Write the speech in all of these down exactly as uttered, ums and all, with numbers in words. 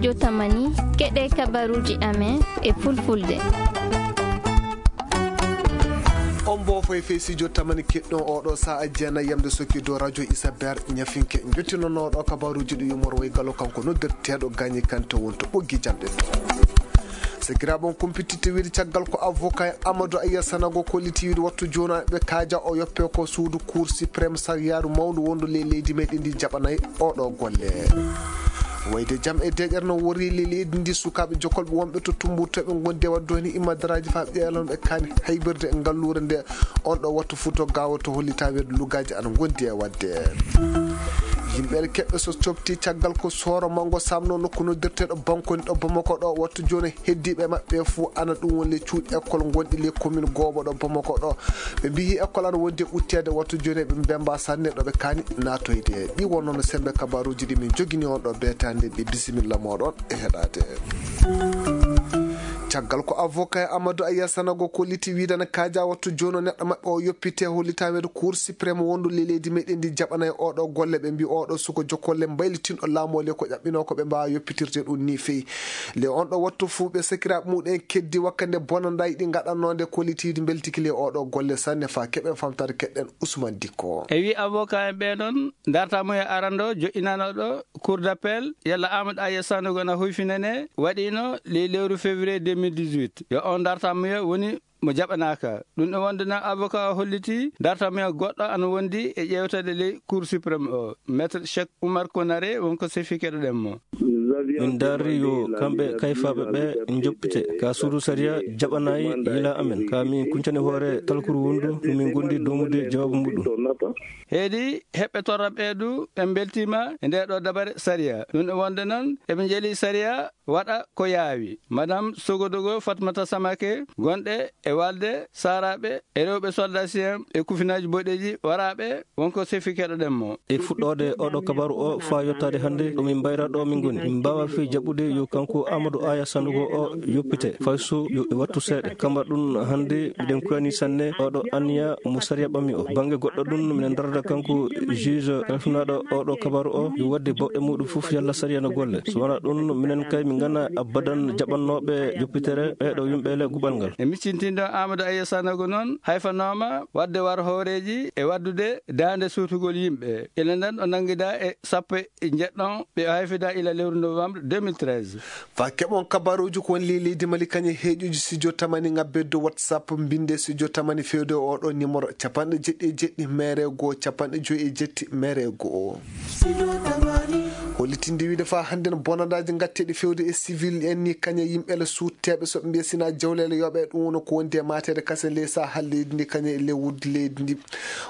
Jotamani, keɗe kabaruuji amen e fulfulde. On mbo foy fey si jotamani keɗɗon oɗo sa'a jeenay yamde sokki dow radio Isabel ñafinke. Jottinonoɗo kabaruuji ɗi yumor way galo kanko noddirteeɗo Gagné Kanté wonto ɓoggi jamɗe. Sakiraaɓe on kumpititte wiide caggal ko avocat en Amadou Aya Sanago kolliti wiide wattu jooni ɓe kaaja o yoppe ko suudu Cour suprême sariyaaru mawndu wondu ley leydi meɗen ndi jaɓanay oɗo golle. Wayde jam e deƴere no worri ley leydi ndi sukaaɓe jokolɓe wonɓe to Tumbur to ɓe ngondi e wadde heen immadaraaji faa ɓeelon ɓe kaani haybirde e ngalluure nde on ɗo wattu Fuuta Gaawo to hollita weedu lugaaji ana ngondi e wadde. Yimɓe keɓɓe so cofti caggal ko sooro mango samno nokku noddirteeɗo Bankoni ɗo Bamako ɗo wattu jooni heddiiɓe maɓɓe fof ana ɗum woni le cuuɗi école gonɗi le commune goobo ɗo Bamako ɗo. Ɓe mbiyi école ana wondi e ɓutteede wattu jooni ɓe mbemba sanne ɗo ɓe kaani naatoyde. Ɗi wonno no sembe kabaruuji ɗi min jogini on ɗo beetande ɗi bisimilla moɗon e heɗaade. Caggal ko avocat Amadou Aya Sanago kolliti wiide ana kaaja wattu jooni neɗɗo maɓɓe o yoppite hollitaweede Cour suprême wondu le leydi meɗen ndi jaɓana e oɗo golle ɓe mbi oɗo suko jokolle mbaylitinɗo laamu o le ko ƴaɓɓino ko ɓe mbaawa yoppitirde ɗum ni feyi. Le on ɗo wattu fuu ɓe sakiraaɓe muɗen keddi wakkande bonandaji ɗi ngaɗannoo nde kollitiiɗi mbeltiki le oɗo golle sanne faa keɓen famtare keɗɗen Ousmane Dikko. E wi avocat en ɓe noon, darta mo e arando joƴƴinanoɗo Cour d'appel, yalla Amadou Aya Sanogo na huyfinane, waɗino ley lewru février deux mille dix-huit. Yo on darta mo woni mo jaɓanaaka. Ɗum ɗo wonde noon avocat o holliti darta mo goɗɗo ana wondi e ƴeewtade ley Cour suprême o. Maître Cheikh Oumar Konaré wonko sefi keɗoɗen mo. Min ndaari yo kamɓe kayfaaɓe ɓe njoppite ka suudu sariya jaɓanayi yila amen. Ka min kuncani hoore talkuru wondu no min gondi domude jawaabu muɗum. Heedi heɓɓe torra ɓeedu ɓe mbeltiima e nde ɗo dabare sariya. Ɗum ɗo wonde noon eɓe njeli sariya waɗa ko yaawi. Madame Sogodogo Fatmata Samake gonɗe e walde saaraaɓe e rewɓe soldat sien e kufinaaji boɗeeji waraaɓe wonko sefi keɗoɗen mo. E fuɗɗoode oɗo kabaru o faa yottaade hannde ɗo min mbayra ɗo min ngoni. Min mbaawa fii jaɓude yo kanko Amadou Aya Sandugo o yoppite fay so yo e wattu seeɗa. Kamba ɗum hannde miɗen kuyani sanne oɗo anniya mo sariya ɓammi o. Bannge goɗɗo ɗum minen darada kanko juge kalfinaaɗo oɗo kabaru o yo waɗde bawɗe muɗum fof yalla sariya no golle. So wonaa ɗum minen kay min ngana abadan jaɓannooɓe yoppitere ɓeeɗo yimɓe le guɓal ngal. E miccintinɗo Amadou Aya Sandugo noon hayfanooma waɗde war hooreeji e waɗdude daande suutugol yimɓe. Ila nden o nanngida e sappo e njeɗɗon ɓe hayfida ila lewru novembre deux mille treize. Faa keɓon kabaruuji ko woni ley leydi Mali kañe heeƴuji studio tamani ŋabbe dow WhatsApp mbinde studio tamani fewde oɗo numéro capanɗe jeɗɗi e jeɗɗi mere goo capanɗe joyi e jetti mere goo. Hollitinde wiide faa hannde no bonandaaji ngatteeɗi fewde e civil en ni kañe yimɓe le suutteeɓe so ɓe mbiya sina jawleele yooɓe ɗum woni ko wondi e maateede kasen ley saha leydi ndi kañe e ley wuddi leydi ndi.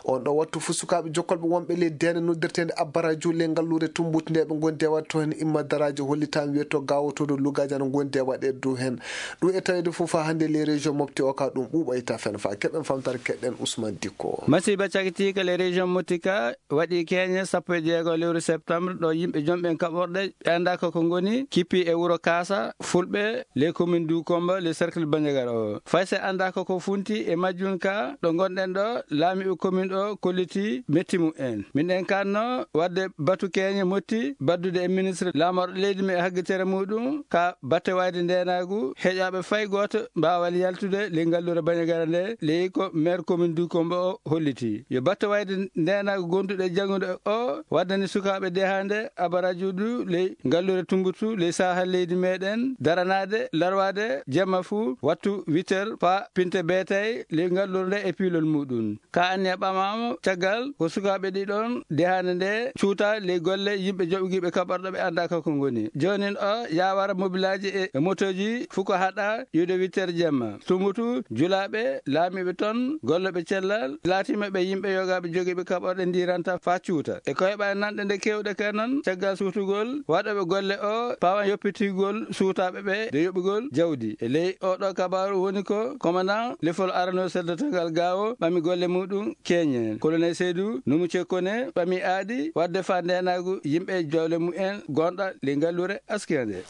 On ɗo wattu fof sukaaɓe jokkolɓe wonɓe ley deene noddirteende Abbaraju ley ngalluure Tumbutu nde ɓe ngondi e waɗde toon heen imma daraaji hollitaama wiyeto gaawotooɗo lugaaji ana ngondi e waɗeede dow heen. Ɗum e taweede fof faa hannde ley région Mopti o ka ɗum ɓuuɓoyta fen faa keɓen famtare keɗɗen Ousmane Dikko. Masiiba cakitiika ley région Mopti ka waɗi keeñe sappo e jeego lewru septembre ɗo yimɓe jomɓe kaɓorɗe ɓe anndaaka ko ngoni kippi e wuro Kaasa Fulɓe ley commune du Kombo ley cercle Bandiagara o. Fay se anndaaka ko funti e majjum ka ɗo ngonɗen ɗo laamiiɓe commune o kolliti metti mumen. Min en kanno waɗde batu keeñe motti baddude e ministre laamorɗo leydi men e haggitere muɗum ka batte wayde ndeenaagu heƴaaɓe fay gooto mbaawal yaltude ley ngalluure Bandiagara nde ley ko maire commune du Kombo o holliti. Yo batte wayde ndeenaagu gonduɗo e janngude o waddani sukaaɓe dehaande abarajuudu ley ngalluure Tumbutu ley saha leydi meɗen daranaade larwaade jemma fuu wattu huit heures faa pinte beetay ley ngalluure nde e piilol muɗum. Ka anniya ɓamaama caggal ko sukaaɓe ɗiɗon dehaande nde cuuta ley golle yimɓe joɓigiiɓe kaɓorɗo ɓe anndaaka ko ngoni. Joonin o yaawara mobilaaji e, e motooji fuu ko haɗa iwde huit heures jemma. Tumbutu julaaɓe laamiiɓe toon, gollooɓe cellal, laatiima ɓe yimɓe yogaaɓe jogiiɓe kaɓorɗe ndiiranta faa cuuta. E koyɓaay nanɗe nde keewɗe ka noon, caggal suutugol waɗooɓe golle o pawan yoppitigol suutaaɓe ɓe de yoɓugol jawdi. E ley oɗo kabaaru woni ko commandant lefol arano seldotogal gaawo ɓami golle muɗum keeñe. Colonel Seydou Noumou Tchekone ɓami aadi waɗde faa ndeenaagu yimɓe jawle mumen gonɗa ley ngalluure Askira nde.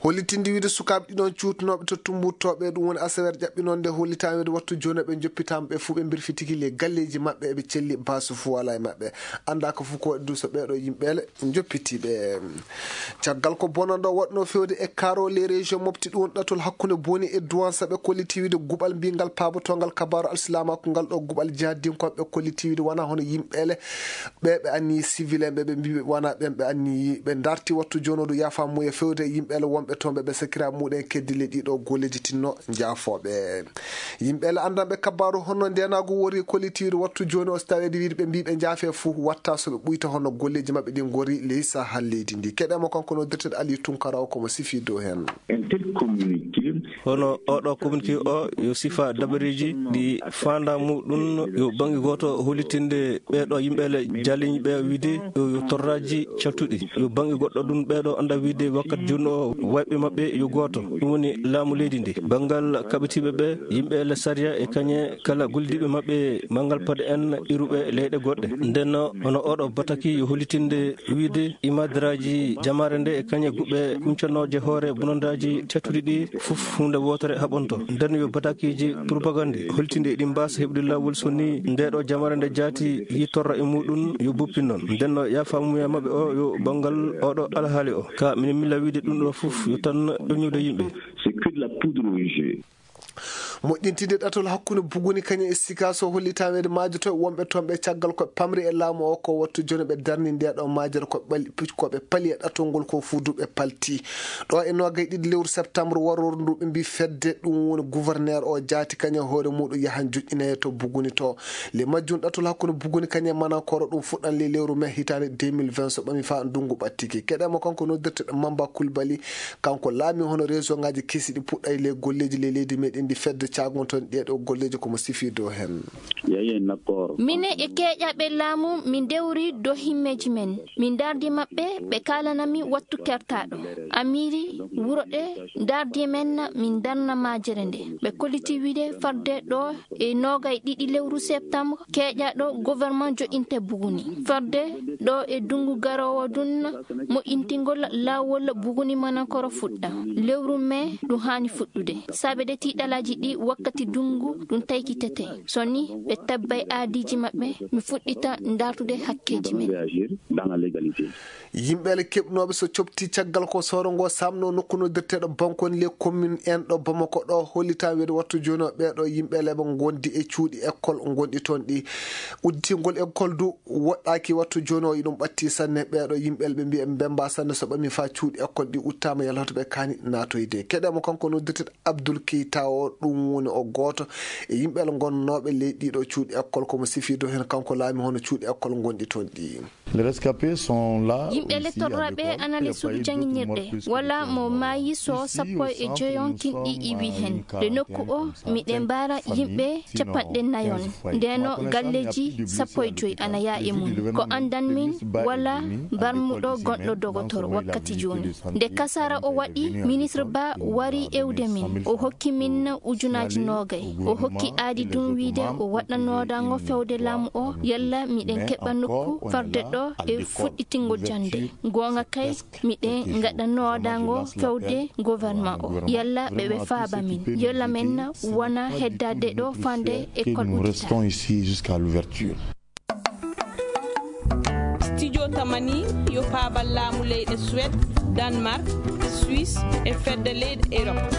Hollitinde wiide sukaaɓe ɗiɗon cuutunooɓe to Tumbuttooɓe, ɗum woni asaweere ƴaɓɓinoonde, hollitaama wiide wattu jooni ɓe njoppitaama, ɓe fuu ɓe mbirfitiki le galleeji maɓɓe, eɓe celli, baasu fuu alaa e maɓɓe. Anndaa ko fuu ko waɗi du so ɓeeɗo yimɓeele njoppitiiɓe. Caggal ko bonanɗo waɗno fewde e Karo les régions mofti ɗum ɗatol hakkunde Boni e Douentza, ɓe kolliti wiide guɓal mbiyngal paabotongal kabaaru alsilaamaaku ngal ɗo guɓal jihadinkooɓe, ɓe kolliti wiide wonaa hono yimɓeele ɓe ɓe anniyi civil en ɓe, ɓe mbii ɓe wonaa ɓen ɓe anniyi. Ɓe darti wattu jooni o du yaafa muuya fewde e yimɓeele wonɓe toon ɓe, ɓe sakira muɗen keddi le ɗiɗo golleeji tinno njaafooɓe. Yimɓeele anndanɓe kabaaru honno ndeenaagu wori kolliti wiide wattu jooni o, so taweede wiide ɓe mbii ɓe njaafe fuu watta so ɓe ɓuyta honno golleeji maɓɓe ɗin ngori leysa hal leydi ndi. Keɗemo kanko noddirteɗo Aliou Tunkara o, komo sifi dow heen. Un tel communiqué. Hono oɗo communiqué o yo sifa dabareeji ɗi faanda muɗum yo bannge gooto hollitinde ɓeeɗo yimɓeele jaliñɓe wiide yo, yo torraaji caltuɗi. Yo bannge goɗɗo ɗum ɓeeɗo annda wiide wakkati jooni o wayɓe maɓɓe yo gooto. Ɗum woni laamu leydi ndi. Banngal kaɓitiiɓe ɓe, yimɓeele sariya e kañe kala gollidiiɓe maɓɓe manngal paɗe en iruɓe leyɗe goɗɗe. Nden hono oɗo bataki yo hollitinde wiide imadaraaji jamaare nde e kañe guɓe kuncanooje hoore bonandaaji cattuɗi ɗi fof huunde wootere haɓonto. Nden yo batakiiji propagande holtinde eɗi mbaasa heɓude laawol so ni ndeɗo jamaare nde jaati yi torra e muɗum yo buppi noon. Nden no yaafamuya maɓɓe o yo banngal oɗo alhaali o. Ka minen milla wiide ɗum ɗo fof yo tan ƴoññude yimɓe. C'est que de la poudre aux yeux. Moƴƴintinde ɗatol hakkunde Buguni kañum e Sikaso hollitaweede maajoto wonɓe toon ɓe caggal ko pamri e laamu o ko wattu jooni ɓe darni nde ɗo maajere ko ɓali-, ko ɓe pali e ɗatol ngol ko fuu du ɓe palti. Ɗo e noogay ɗiɗi lewru septembre warooru ndu ɓe mbii fedde ɗum woni gouverneur o jaati kañum e hoore muɗum yahan joƴƴinoye to Buguni to. Le majjum ɗatol hakkunde Buguni kañum e Manankoro ɗum fuɗɗan le lewru mai hitaande deux mille vingt so ɓami faa ndunngu ɓattiki. Keɗemo kanko noddirteɗo Mamba Kulbali, kanko laami hono région ngaji kesi ɗi puɗɗay le golleeji le leydi meɗen ndi fedde caagon toon ɗeɗo golleeji komo sifi dow heen. Minen e keeƴaɓe laamu min ndewri dow himmeeji men. Min ndardi maɓɓe, ɓe kaalanami wattu kertaaɗo. Amiri wuro ɗe ndardi men, min darna maajere nde. Ɓe kolliti wiide farde ɗo e noogay ɗiɗi lewru septembre, keeƴaɗo gouvernement joɗinte Buguni. Farde ɗo e dungu garowo dun moƴƴintingol laawol Buguni Manankoro fuɗɗa. Lewru mai ɗum haani fuɗɗude. Saabede tiiɗalaaji ɗi wakkati dungu ɗum taykitete. So ni ɓe tabbay aadiiji maɓɓe, mi fuɗɗita ndartude hakkeeji men. Yimɓeele keɓnooɓe so copti caggal ko soro ngo samno nokku noddirteeɗo Bankoni les communes en ɗo Bamako ɗo, hollita weede wattu jooni o ɓeeɗo yimɓeele ɓe ngondi e cuuɗi école ngonɗi toon ɗi. Udditingol école du woɗɗaaki wattu jooni o, iɗum ɓatti sanne. Ɓeeɗo yimɓeele ɓe mbiya ɓe mbemba sanne so ɓami faa cuuɗi école ɗi uttaama yalla hoto ɓe kaani naatoyde. Keɗemo kanko noddirteeɗo Abdoul Keita o, ɗum woni o gooto e yimɓeele ngonnooɓe ley ɗiɗo cuuɗi école, komo sifi dow heen kanko laami hono cuuɗi école ngonɗi toon ɗi. Les rescapés sont là. Yimɓe aussi à lettorraɓe l'école, ana il y a le pas suudu eu d'autres janginirɗe morts plus que wala mo maayi so sappo e joyon kinɗi iwi heen. Le nokku o miɗen mbaara yimɓe capanɗe nayon. Ndeno galleeji sappo e joy ana yaa e mum. Ko anndan min wala barmuɗo gonɗo dogotoro wakkati jooni. Nde kasara o waɗi, ministre Ba wari ewde min. O hokki min ujunaaji noogay. O hokki aadi ɗum wiide o waɗa noodango fewde laamu o, yalla miɗen keɓa nokku farde ɗo e fuɗɗitingol jannde. Goonga kay, miɗen ngaɗa noodango fewde gouvernement o. Yalla ɓe ɓe faaba min. Yalla men wona heddaade ɗo fande école uddita. Studio Tamani yo paabal laamu leyɗe Suède, Danemark, Suisse e fedde leyɗe Europe.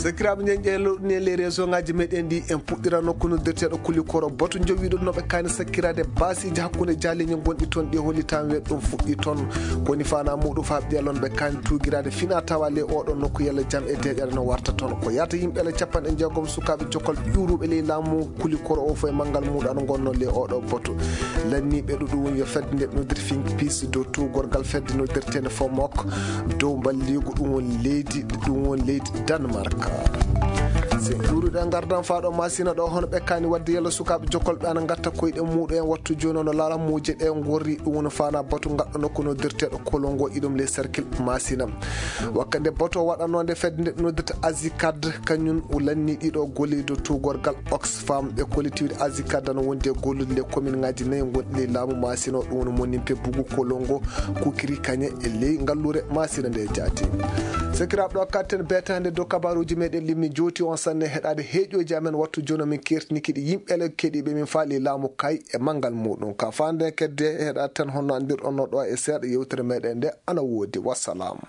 Sakiraaɓe, ñeñƴe lowɗini e les région ngaji meɗen ɗi, en puɗɗira nokku noddirteeɗo Kulikoro. Batu jowiɗo no ɓe kaani sakkiraade baasiiji hakkunde jaaliñe gonɗi toon ɗi, holli tan we ɗum fuɗɗi toon. Koni fana muɗum faa ɓiyalon ɓe kaani tuugiraade fina tawa le oɗo nokku yalla jam e deeƴere no warta toon. Ko yaata yimɓe le capanɗe jeegom sukaaɓe jokkal ƴuuruɓe ley laamu Kulikoro o fof e manngal muɗum ano ngonno le oɗo batu. Lanniiɓe ɗo ɗum woni yo fedde nde noddirte fin piis dow tuugorgal fedde noddirteende Fomok dow mballiigu ɗum woni leydi, ɗum woni leydi Danemark. Juuruɗe ngardan faa ɗo Masina ɗo, hono ɓe kaani waɗde yalla sukaaɓe jokkolɓe ana ngatta koyɗe muuɗum en wattu jooni, no lalammuuje ɗe ngorri. Ɗum woni faana batu ngaɗɗo nokku noddirteeɗo Kolongo, iɗum ley cercle Masina. Wakkande batu o waɗanoo nde fedde nde noddirta Azicad, kañum lanni ɗiɗo gollido tuugorgal Oxfam. Ɓe collectivité Azicad no wondi e gollude le commune ngaji nayi gonɗi ley laamu Masina o, ɗum woni Monimpe, Bugu, Kolongo, Kukiri, Kañe e ley ngalluure Masina nde jaati. Sakiraaɓe, ɗo katten beetaande dow kabaaruuji meɗen limmi jooti on sanne heɗaade heeƴooji amen wattu jooni min kertini kiɗi yimɓe ele keɗiiɓe min faali laamu kay e manngal muuɗum. Ka faande kedde heɗaade tan honno anndirɗon no ɗo e seeɗa yewtere meɗen nde ana woodi. Wassalam.